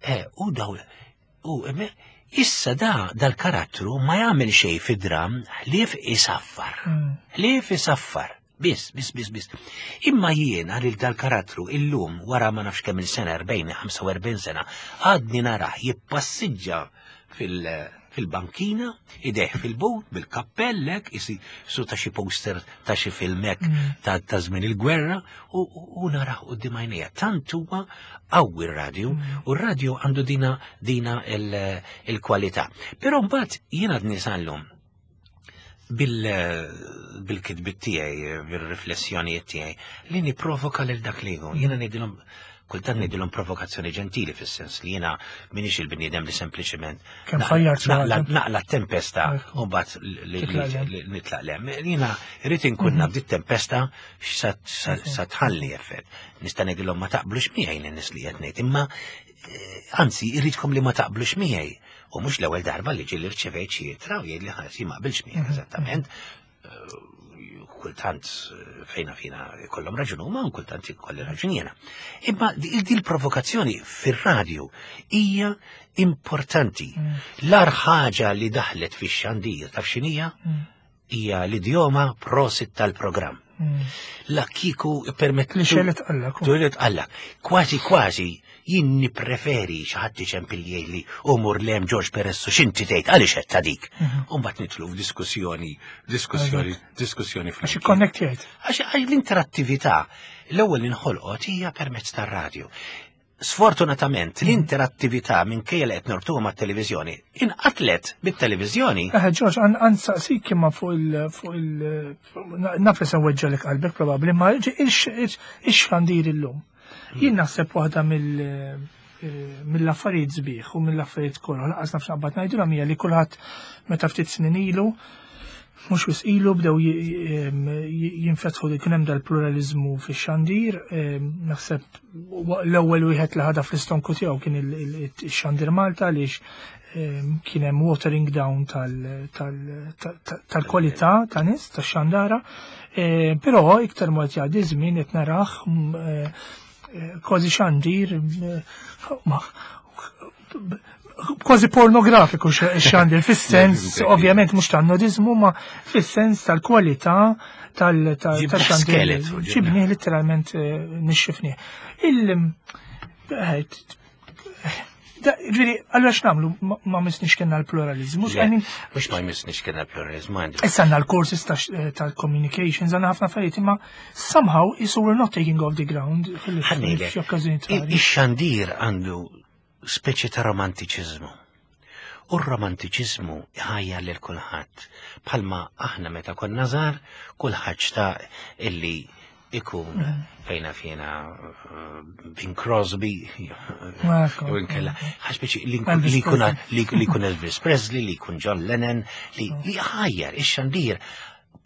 E, u daw, u issa da dal-karattru ma jagħmel xejn fid-dram ħlief isaffar. Mm. Ħlief isaffar. Biss, biss, biss, biss. Imma jiena lil dal-karattru illum wara ma nafx kemm il-sena, erbgħin, ħamsa u erbgħin sena, għadni narah jippassiġġa fil- fil-bankina, idejh fil-but, bil-kappellek, isi su ta' xi poster ta' xi filmek mm. ta' ta' żmien il-gwerra, u, u narah quddiem għajnejja. Tant huwa qawwi r-radju, mm. u r-radju għandu dina dina il-kwalità. Però mbagħad jiena għadni sal-lum bil-kitbit tiegħi, bil-riflessjonijiet tiegħi, li niprovoka lil dak li jkun. Jiena ngħidilhom kultant ngħidilhom provokazzjoni ġentili fis-sens li jiena m'iniex il-bniedem li sempliċement naqla tempesta u mbagħad nitlaq lem. Jiena rrid inkun naf dit tempesta sa tħalli effett. Nista' ngħidilhom ma taqblux miegħi lin-nies li qed ngħid, imma eh, anzi irridkom li ma taqblux miegħi. U mhux l-ewwel darba li ġieli rċevejt xi ittra u jgħid li ħasi ma qbilx miegħek mhm. eżattament. Eh, kultant eh, fejna fina kollhom raġun huma u kultant ikolli raġun jiena. Imma di l-provokazzjoni fir-radju hija importanti. Mm. L-agħar ħaġa li daħlet fix-xandir taf x'inhija? Mm. Hija l-idjoma "prosit tal-programm". Mm. La kiku permettu. Li xelet għallak. Tulet għallak. Kważi kważi jien nippreferi xi ħadd iċempel jgħidli u mur lem George Peresso x'inti tgħid għaliex qed ta' dik. Mhm. U mbagħad nidħlu f'diskussjoni, diskussjoni, diskussjoni Għax ikkonnektjajt. Għax l-interattività l-ewwel inħolqot hija permezz tar-radju. Sfortunatament, l-interattività minkejja li qed norbtuha mat-televiżjoni inqatlet bit-televiżjoni. Eh, George, għan saqsik imma fuq il- fuq il naf li se nweġġalek qalbek probabbli, ma ix-xandir illum. Jien naħseb waħda mill eh, mill-affarijiet sbieħ u mill-affarijiet kollha, lanqas naf x'naqbad ngħidulhom, hija li kulħadd meta ftit snin ilu, mhux wisq ilu, bdew jinfetħu li kien hemm dal-pluralizmu fix-xandir, naħseb l-ewwel wieħed li ħadha fl-istonku tiegħu kien il-Xandir Malta għaliex kien hemm watering down tal-kwalità ta' nies tax-xandara, però iktar mod jgħaddi żmien qed narah kważi xandir kważi pornografiku xandir, fis-sens, ovvjament mhux tan-nudizmu, ma fis-sens tal-kwalità tal-xandir. Ġibni literalment eh, nixxifni. Il eh, Ġifieri, allura x'nagħmlu ma missniex kellna l-pluralizmu? Mhux ma jmissniex kellna l-pluralizmu. Issa għandna l-courses tal-communications, għandna ħafna affarijiet, imma somehow is we're not taking off the ground. Ix-xandir għandu speċi ta' romantiċiżmu. U r-romantiċiżmu ħajja lil kulħadd. Bħalma aħna meta konna żgħar, kulħadd xtaq illi ikun mm. fejna fjena uh, Bing Crosby, u inkella, ħax li jkun Elvis Presley, li jkun John Lennon, li ħajjar, ix-xandir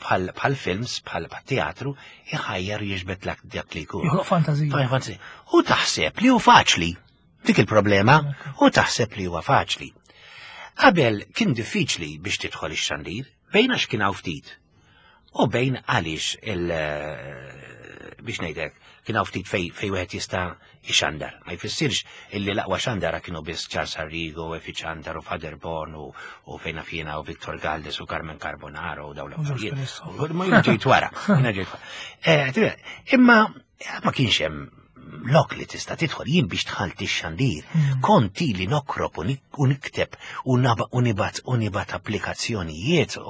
bħal films, bħal teatru, iħajjar jiġbed dak li jkun. Fantazija. U taħseb li hu faċli, dik il-problema, u taħseb li huwa faċli. Qabel kien diffiċli biex tidħol ix-xandir, bejn għax kien hawn ftit. U bejn għaliex il- biex ngħidlek, kien hawn ftit fej fej wieħed jista' ixandar. Ma jfissirx illi l-aqwa xandara kienu biss Charles Arrigo, Efi Xandar u Father Born u, u fejna fjena u Victor Galdes u Carmen Carbonaro u dawn l-affarijiet. Ma jiena ġejt wara, jiena ġejt wara. Imma ma kienx hemm lok li tista' tidħol jien biex dħalt ix-xandir. Kont ili nokrob u nikteb u nibgħat u nibgħat applikazzjonijiet u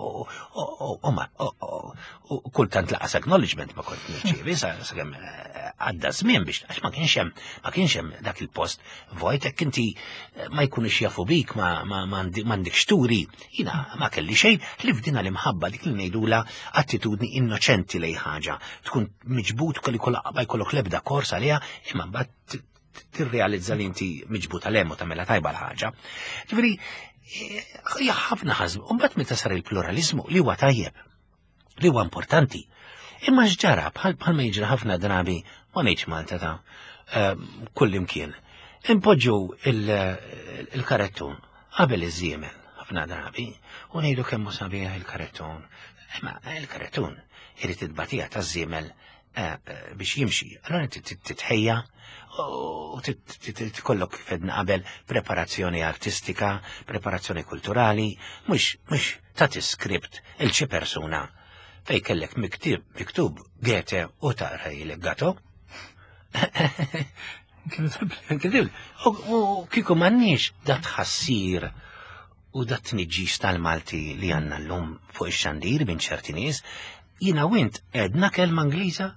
kultant lanqas acknowledgement ma kont nirċievi sakemm għadda żmien biex għax ma kienx hemm ma kienx hemm dak il-post vojt hekk inti ma jkunux jafu bik ma m'għandekx turi. Jiena ma kelli xejn li f'dina l-imħabba dik li ngħidula attitudni innoċenti lej ħaġa. Tkun miġbut kelli ma jkollok l-ebda kors għaliha imma mbagħad tirrealizza li inti miġbut għal hemm u tagħmilha tajba l-ħaġa. Ġifieri hija ħafna ħażm, u mbagħad meta sar il-pluralizmu li huwa tajjeb, li huwa importanti. Imma x'ġara bħal bħal ma jiġri ħafna drabi ma ngħidx Malta ta' kull imkien. Impoġġu il-karettun qabel iż-żiemel ħafna drabi u ngħidu kemm hu sabiħ il-karettun. Imma il-karettun irid it-tbatija taż-żiemel biex jimxi. Allora titħejja u tkollok fedna qabel preparazzjoni artistika, preparazzjoni kulturali, mhux mhux tagħti skript il xi persuna fej kellek miktub miktub Goethe u taqra il Gato. Incredible. U kieku m'għandniex da tħassir u da tniġġis tal-Malti li għandna llum fuq ix-xandir minn ċerti nies, jiena u int għedna kelma Ingliża,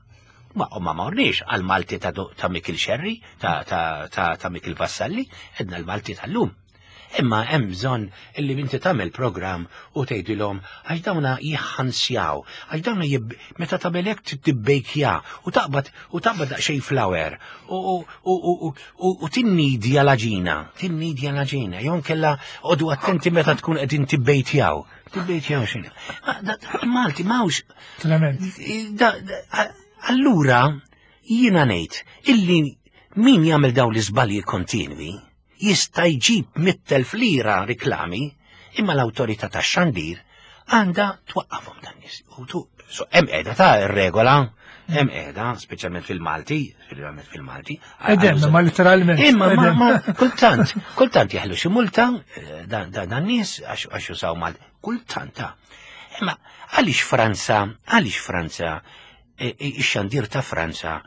ma ma morniex għal-Malti ta', ta' Mikil Scerri, ta', ta, ta, ta' Mikil Vassalli, għedna l-Malti tal-lum. Imma hemm bżonn illi inti tagħmel programm u tgħidilhom għax dawna jħansjaw, għax dawna jib, meta tagħmel hekk tibbejkja u taqbad u taqbad daqsxejn flour u u u u u tinnidja l-aġina, tinnidja l-aġina, jew kella għodu attenti meta tkun qegħdin tibbejtjaw. Tibbejtjaw x'inhu. Malti m'hawnx. Allura jiena ngħid illi min jagħmel dawn l-iżbalji kontinwi jista' jġib mitt elf lira riklami, imma l-awtorità tax-xandir għandha twaqqafhom dan nies. U tu so hemm qiegħda ta' ir-regola, hemm qiegħda, speċjalment fil-Malti, speċjalment fil-Malti. Edem, ma literalment. Imma ma, ma kultant, kultant jeħlu xi multa dan dan nies għax jużaw Malti, kultant ta'. Imma għaliex Franza, għaliex Franza, ix-xandir ta' Franza,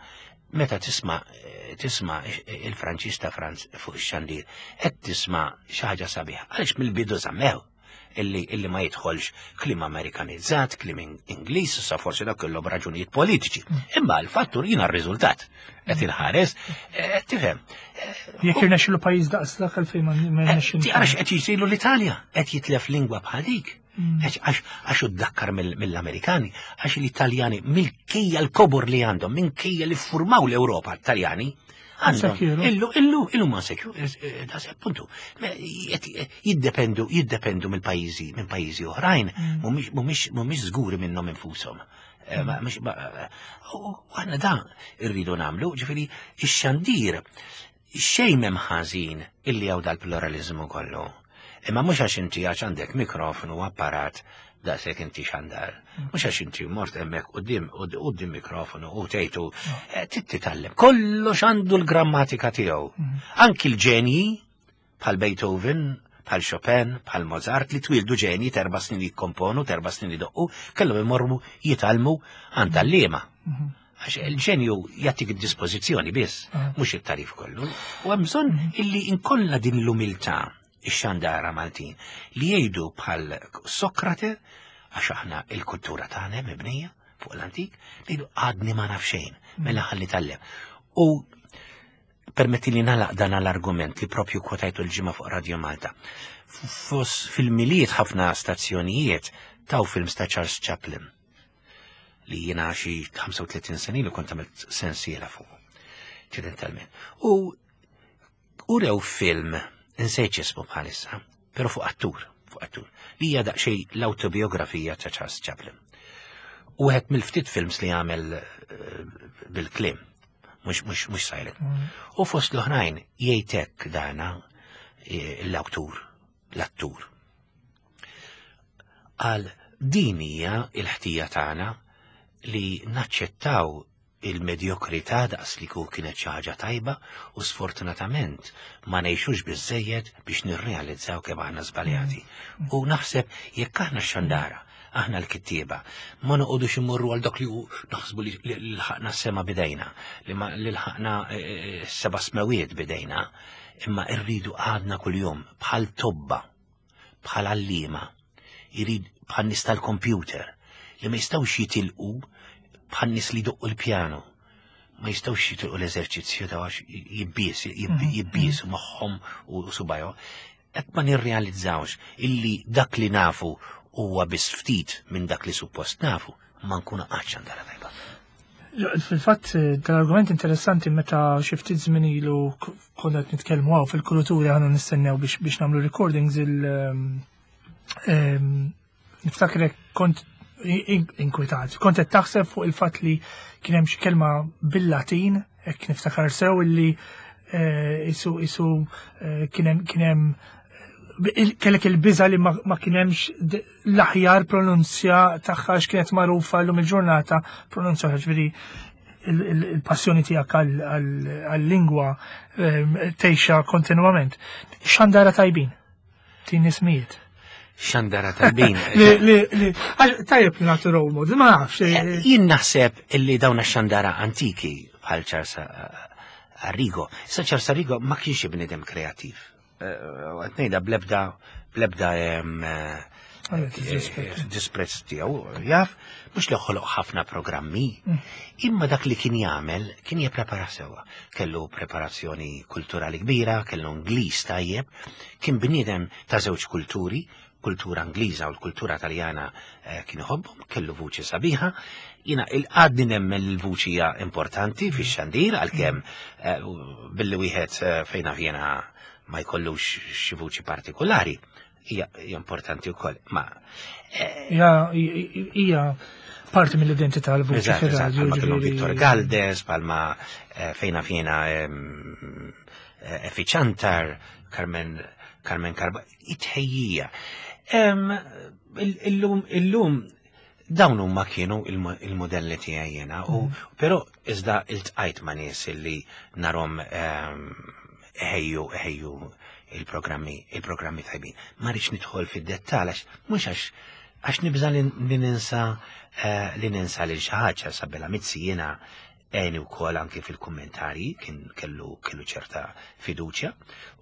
meta tisma' tisma' il-Franċiż ta' Franz fuq ix-xandir, qed tisma' xi ħaġa sabiħa. Għaliex mill-bidu żammew illi illi ma jidħolx kliem Amerikanizzat, kliem Ingliż, sa forsi dak kellhom raġunijiet politiċi. Imma l-fattur jiena r-riżultat qed inħares, tifhem. Jekk irnexxilu pajjiż daqs dak għalfejn ma rnexxilu. Għax qed jisilu l-Italja, qed jitlef lingwa bħal dik. Għax uddakkar mill-Amerikani, għax l-Italjani mill-kejja l-kobor li għandhom, minkejja li ffurmaw l-Ewropa Taljani, għandhom illu illu illu ma sekju, da se appuntu, jiddependu jiddependu mill-pajjiżi minn pajjiżi oħrajn, mhumiex mhumiex żguri minnhom infushom. U aħna da rridu nagħmlu, ġifieri ix-xandir xejn m'hemm ħażin illi hawn dal-pluralizmu kollu. Imma mhux għax inti għax għandek mikrofonu u apparat daqshekk inti xandar. Mhux għax inti mort hemmhekk quddiem quddiem mikrofonu u tgħidu titgħallem. Kollox għandu l-grammatika tiegħu. Anki l-ġenji bħal Beethoven, bħal Chopin, bħal Mozart li twildu ġenji terba' snin jikkomponu, terba' snin idoqqu, kellhom imorru jitgħallmu għand għalliema. Għax il-ġenju jagħtik id-dispożizzjoni biss, Ah. mhux it-tagħrif kollu. U hemm bżonn illi inkollna din l-umiltà ix-xandara Maltin li jgħidu bħal Sokrate, għax aħna il-kultura tagħna mibnija fuq l-antik, li jgħidu għadni ma naf xejn, mela ħalli tallem. U permetti li nagħlaq dan l-argument li propju kwotajtu l-ġimgħa fuq Radio Malta. Fos fil-Milied ħafna stazzjonijiet taw films ta' Charles Chaplin li jiena xi ħamsa u tletin sena li kont għamilt sensiela fuq, ċidentalment. U urew film, insejt ismu bħalissa, pero fuq attur, fuq attur, li hija daqsxejn l-autobiografija ta' Charles Chaplin. U wieħed mill-ftit films li għamel eh, bil-kliem, mhux mhux mhux silent. U fost l-oħrajn jgħidlek dana eh, l-awtur, l-attur. Għal din hija il-ħtija tagħna li naċċettaw il-medjokrità daqs li ku kienet xi ħaġa tajba u sfortunatament ma ngħixux biżejjed biex nirrealizzaw kemm aħna żbaljati. U naħseb jekk aħna x-xandara, aħna l-kittieba, ma noqogħdux immorru għal dak li hu naħsbu li li lħaqna s-sema bidejna, li ma li lħaqna eh, seba' smewiet bidejna, imma rridu għadna kuljum bħal tobba, bħal għalliema, jrid bħal nies tal-computer, li ma jistgħux jitilqu bħal nies li jdoqqu l-pjano. Ma jistgħux jitilqu l-eżerċizzju ta' għax jibbies, jibbies moħħhom u subajhom. Hekk ma nirrealizzawx illi dak li nafu huwa biss ftit minn dak li suppost nafu, ma nkunu qatt xandara tajba. Fil-fatt, dal-argument interessanti meta xi ftit żmien ilu k- konna qed nitkellmu hawn fil-kulturi aħna nistennew biex biex nagħmlu recordings il ehm, ehm, niftakrek kont in- inkwetat. Kont qed taħseb fuq il-fatt li kien hemm xi kelma bil-Latin, hekk niftakar sew illi eh, isu isu eh, kien hemm kien hemm il- kellek il-biża li ma, ma kien hemmx d- l-aħjar pronunzja tagħha għax kienet magħrufa llum il-ġurnata pronunzja, ġifieri il- il- il-passjoni tiegħek għal- għal- għal-lingwa ehm, tgħixha kontinwament. Xandara tajbin, tin ismijiet. Xandara tajbin. Li, li, li, għax tajjeb li nagħtu role model, ma nafx. eh, Jien naħseb illi dawn ix-xandara antiki bħal Charles eh, Arrigo. Issa Charles Arrigo ma kienx bniedem kreattiv. Qed ngħidha blebda blebda em, eh, Għalek, disrespect. disprezz tiegħu, jaf, mhux li ħoloq ħafna programmi, imma dak li kien jagħmel kien jipprepara sewwa. Kellu preparazzjoni kulturali kbira, kellu Ingliż tajjeb, kien bniedem ta' żewġ kulturi, kultura Ingliża u l-kultura Taljana eh, kien iħobbhom, kellu vuċi sabiħa. Jiena il-għadni nemmen li l-vuċi hija importanti fix-xandir għalkemm eh, billi wieħed eh, fejna fjena ma jkollux xi vuċi partikolari hija hija importanti wkoll. Ma Hija hija parti mill-identità l-vuċi Eżatt, eżatt, fir-radio. bħalma kellu ġifieri- Victor Galdes, bħalma eh, fejna fjena em, eh, Effi Ciantar, Carmen Carmen Carba, it-tħejjija. Em, il- Illum, illum, dawn huma kienu il-mo- il-modelli tiegħi jiena, u però iżda iltqajt ma' nies illi narhom em, ħejju ħejju il-programmi il-programmi tajbin. Ma rridx nidħol fid-dettall għax mhux għax għax nibża li li ninsa eh, li ninsa lil xi ħaġa. Sabella Mizzi jiena għeni wkoll anki fil-kummentari, kien kellu kellu ċerta fiduċja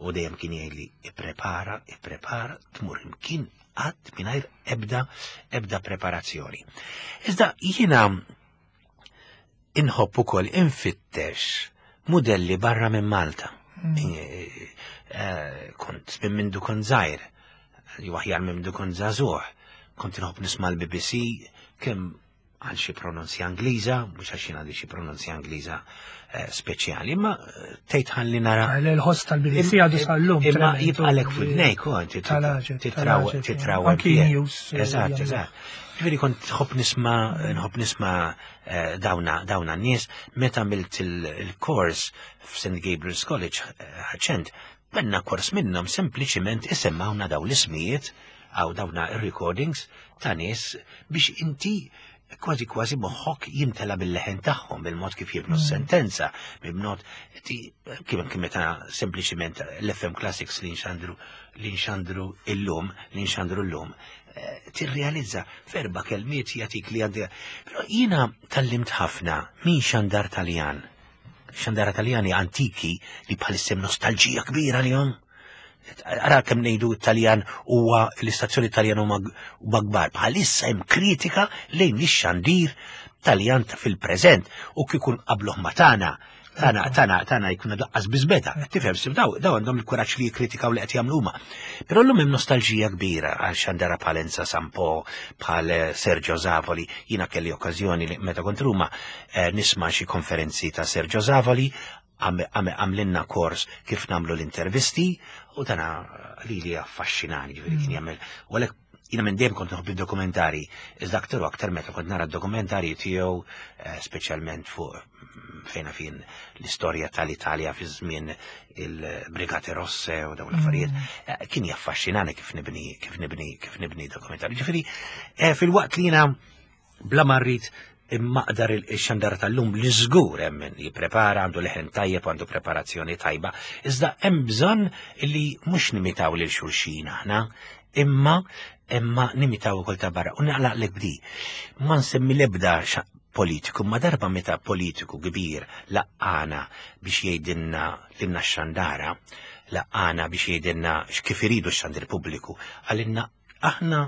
u dejjem kien jgħidli ipprepara, ipprepara, tmur imkien qatt mingħajr ebda ebda preparazzjoni. Iżda jiena inħobb ukoll infittex modelli barra minn Malta. Eh, eh, Kont minn mindu kont żgħir, jew aħjar minn mindu kont żagħżugħ, kont inħobb nisma' l-B B C kemm għal xi pronunzja Ingliża, mhux għax jien għandi xi pronunzja Ingliża eh, speċjali, imma eh, tgħid ħalli nara. Il-ħoss tal-B B C għadu sal-lum. Imma tremend, jibqalek f'widnejk, u inti Tal-għaġeb, titraw tal-għaġeb, titraw anki news, eh, Eżatt, jagħmlu. eżatt. Ġifieri kont nħobb nisma' nħobb nisma' eh, dawna dawna n-nies meta għamilt il-kors f'Saint Gabriel's College eh, ħaċent, benna kors minnhom sempliċiment isemmawna daw l-ismijiet għaw dawna il-recordings ta' nies biex inti Kważi kważi moħħok jimtela bil-leħen tagħhom, bil-mod kif jibnu s-sentenza, bil-mod kif kif meta sempliċiment l-F M Classics li nxandru li nxandru illum, li nxandru llum, eh, tirrealizza f'erba' kelmiet jagħtik li għandi. Però jiena tgħallimt ħafna min xandar Taljan. Xandara Taljani antiki li bħalissa hemm nostalġija kbira li. Ara kemm ngħidu Taljan huwa l-istazzjoni Taljan huma kbar. Bħalissa hemm kritika lejn ix-xandir Taljan ta' fil-preżent u kieku nqabbluh ma' tagħna. Tagħna, tagħna, tagħna jkun daqqas biżbeta. Tifhem, sim daw, daw għandhom il-kuraġġ li jikkritikaw li qed jagħmlu huma. Però llum hemm nostalġija kbira għal xandara bħal Enza Sampo, bħal eh, Sergio Zavoli. Jiena kelli okkażjoni li meta kont Ruma eh, nisma' xi konferenzi ta' Sergio Zavoli, għamlinna kors kif nagħmlu l-intervisti u dana li li affaxxinani, ġifieri kien jagħmel. U għalhekk jiena minn dejjem kont nħobb id-dokumentari, iżda aktar u aktar meta kont nara d-dokumentari tiegħu, eh, speċjalment fuq mm, fejna fin l-istorja tal-Italja fi żmien il-Brigate Rosse u dawn l-affarijiet, eh, kien jaffaxxinani kif nibni kif nibni kif nibni dokumentari. Ġifieri eh, fil-waqt li jiena bla ma rrid immaqdar il-xandar tal-lum li żgur hemm min jipprepara, għandu leħen tajjeb, għandu preparazzjoni tajba, iżda hemm bżonn li mhux nimitaw lil xulxin aħna, imma imma nimitaw ukoll ta' barra. U naqlaq bdi. Ma nsemmi l-ebda politiku, ma darba meta politiku kbir laqqana biex jgħidilna lilna x-xandara, laqqana biex jgħidilna x'kif iridu x-xandir pubbliku, qalilna: "Aħna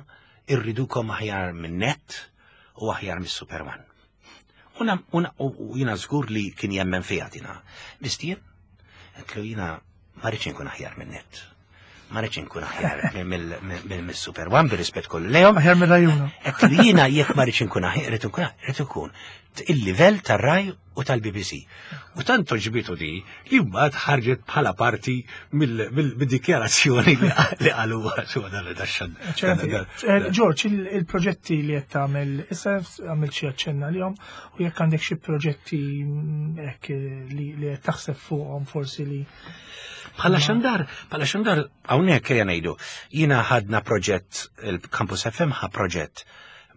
irridukom aħjar minn Net u aħjar mis-Super One." Una, una, u jiena żgur li kien jemmen fija dina. Mistien, għedtlu jiena ma rridx nkun aħjar minn Net. Ma rridx nkun aħjar mill-Super One, bir-rispett kollu lejhom. Aħjar mill-Rai Uno. Għedtlu jiena jekk ma rridx nkun aħjar, rrid nkun rrid nkun il-livell tar-Rai u tal-B B C. U tant għoġbitu di li mbagħad ħarġet bħala parti mill-dikjarazzjoni li qalu su dan daxxan. Eh, George, il-proġetti li qed tagħmel, issa għamilt xi aċċenna lihom u jekk għandek xi proġetti mm, hekk li qed taħseb fuqhom forsi li Bħala xandar, bħala xandar, hawnhekk ejja ngħidu, jiena ħadna proġett, il-Campus F M ħa proġett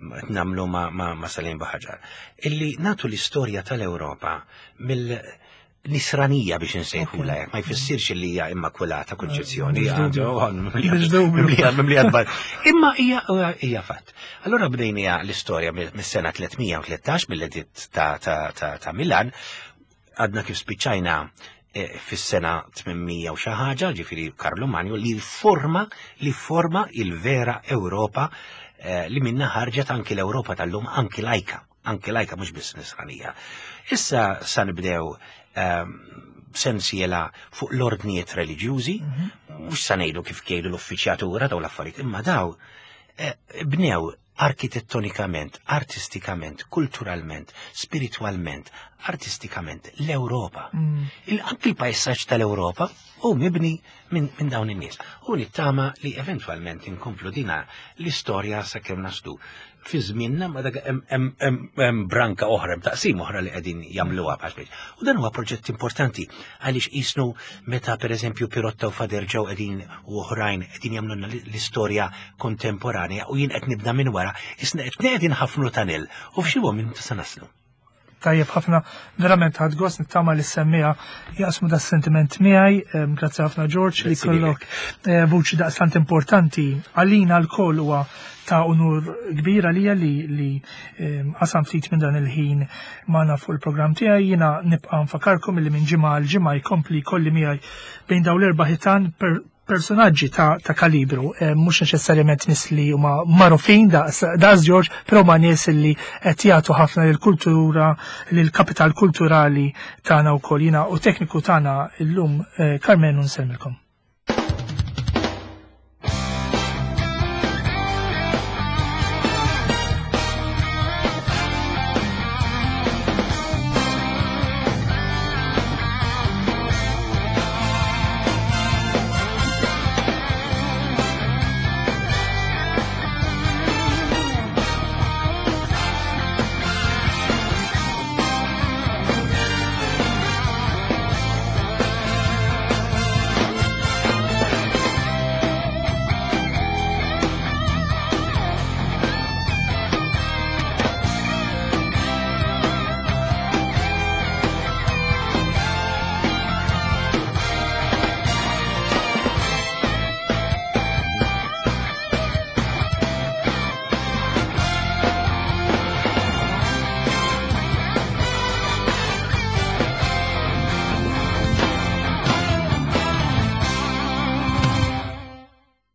nagħmlu ma, ma, ma Salim Buhagiar, illi nagħtu l-istorja tal-Ewropa mill nisranija biex nsejħula, ma jfissirx li hija immakulata konċezzjoni. Imma hija hija fatt. Allora bdejnija l-istorja mis-sena tliet mija u tlettax mill-editt ta', ta, ta, ta' Milan, għadna kif spiċċajna eh, fis-sena tmien mija u xi ħaġa, ġifieri Karlu Manju li forma li forma il-vera Ewropa eh, li minna ħarġet anki l-Ewropa tal-lum, anki lajka, anki lajka, mhux biss nisranija. Issa sa nibdew ehm, sensiela fuq l-ordnijiet reliġjużi, mhux sa ngħidu kif jgħidu l-uffiċjatura daw l-affarijiet, imma daw eh, bnew arkitettonikament, artistikament, kulturalment, spiritualment, artistikament l-Ewropa. Mm. Il- Anki l-pajsaġġ tal-Ewropa hu mibni minn min dawn in-nies. U nittama li eventwalment inkomplu dina l-istorja sakemm naslu fi żmienna, ma dak hemm- hemm hemm- hemm branka oħra, hemm taqsim oħra li qegħdin jagħmluha bħal. U dan huwa proġett importanti għaliex qisnu meta, pereżempju, Pirotta u Fader ġew qegħdin u oħrajn qegħdin jagħmlulna l-istorja kontemporanja u jien qed nibda minn wara, isna qed qegħdin ħafnu tunnel u f'xi moment se naslu. Tajjeb ħafna, verament ħadt gost, nittama li s-semmiegħa jaqsmu da sentiment miegħi. Em, grazzi ħafna, George, li Grazzi kollok eh, vuċi daqstant importanti għalina lkoll. Huwa ta' unur kbir għalija li li em, qasam ftit minn dan il-ħin magħna fuq il-programm tiegħi. Jiena nibqa' nfakarkom li minn ġimgħa għal ġimgħa jkompli kolli miegħi bejn dawn l-erba' ħitan per personaġġi ta', ta kalibru, eh, mhux neċessarjament nies li huma magħrufin daqs daqs George, però ma nies li qed jagħtu ħafna lill-kultura, lill-kapital kulturali tagħna wkoll. Jiena u tekniku tagħna illum eh, Carmen nsellmilkom.